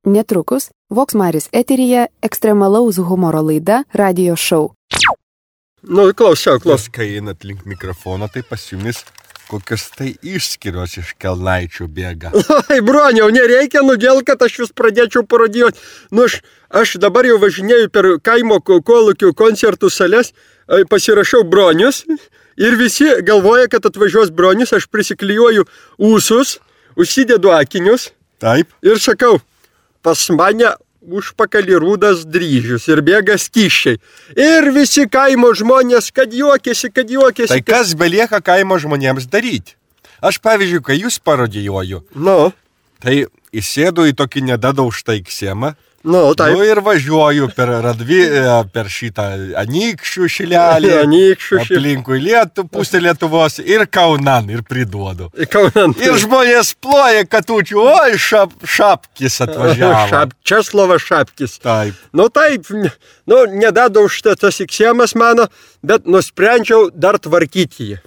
Netrukus Vox Maris eteryje ekstremalaus humoro laida Radio Show. Nu, klausiau. Kai einat link mikrofono, tai pas jumis kokios tai išskirios iš kelnaičių bėga. Ai, broniau, nereikia nudėl, kad aš vis pradėčiau parodijuoti. Nu, aš dabar jau važinėju per kaimo kolūkių koncertų sales, pasirašau bronius ir visi galvoja, kad atvažiuos bronius, aš prisiklijuoju ūsus, užsidedu akinius. Taip. Ir sakau, pas mane užpakalį rūdas dryžius ir bėga skyščiai. Ir visi kaimo žmonės, kad juokėsi. Tai kas belieka kaimo žmonėms daryti? Aš, pavyzdžiui, kai jūs parodijuoju, tai įsėdu į tokį nedadaužtą iksėmą, taip. Ir važiuoju per šitą Anykščių šilelį, aplinkui pusę Lietuvos ir Kaunan ir priduodu. Ir žmonės ploja katučių, oi, Šapkis atvažiavo. Česlovas Šapkis. Taip. Taip, nedadaužta tas iksėmas mano, bet nusprendžiau dar tvarkyti jį.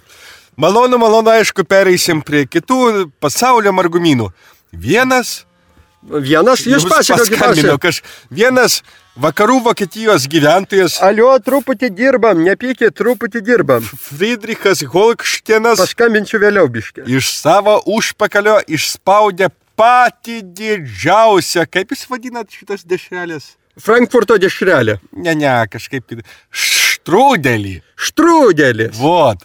Malonu, aišku, pereisim prie kitų pasaulio margumynų. Jūs pasakokit. Vienas vakarų Vokietijos gyventojas. Alio, truputį dirbam, nepykit, truputį dirbam. Friedrichas Holkštėnas. Paskambinsiu vėliau biškį. Iš savo užpakalio išspaudė patį didžiausią, kaip jūs vadinat šitas dešrelės? Frankfurto dešrelė. Ne, kažkaip štrudelį. Štrudelis. Vot.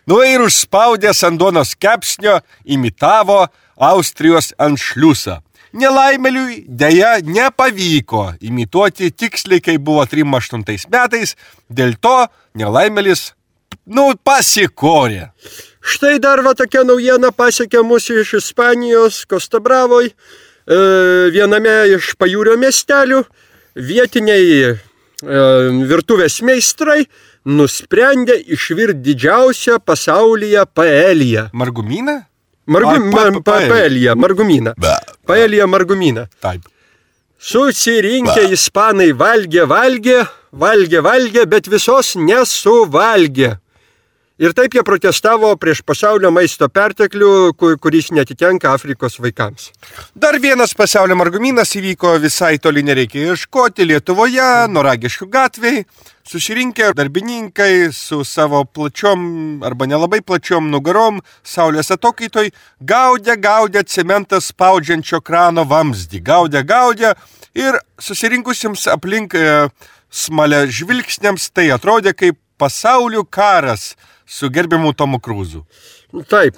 Ir užspaudęs ant duonos kepsnio imitavo Austrijos anšliusą. Nelaimėliui dėja nepavyko imituoti tiksliai, kai buvo 38 metais, dėl to nelaimėlis, pasikorė. Štai dar tokia naujiena pasiekė mūsų iš Ispanijos, Kostabravoj, viename iš pajūrio miestelių, vietiniai virtuvės meistrai nusprendė išvirti didžiausią pasaulyje paeliją. Margumyną? Paelija, margumyną. Paelija, margumyną. Taip. Susirinkę ispanai valgė, bet visos nesuvalgė. Ir taip jie protestavo prieš pasaulio maisto perteklių, kuris netitenka Afrikos vaikams. Dar vienas pasaulio margumynas įvyko visai toli nereikia ieškoti Lietuvoje, Noragiškių gatvėj. Susirinkę darbininkai su savo plačiom arba nelabai plačiom nugarom saulės atokaitoj gaudė cementą spaudžiančio krano vamzdį. Gaudė ir susirinkusiems aplink smalia žvilgsniams tai atrodė kaip pasaulių karas su gerbiamu Tomu Krūzu. Taip,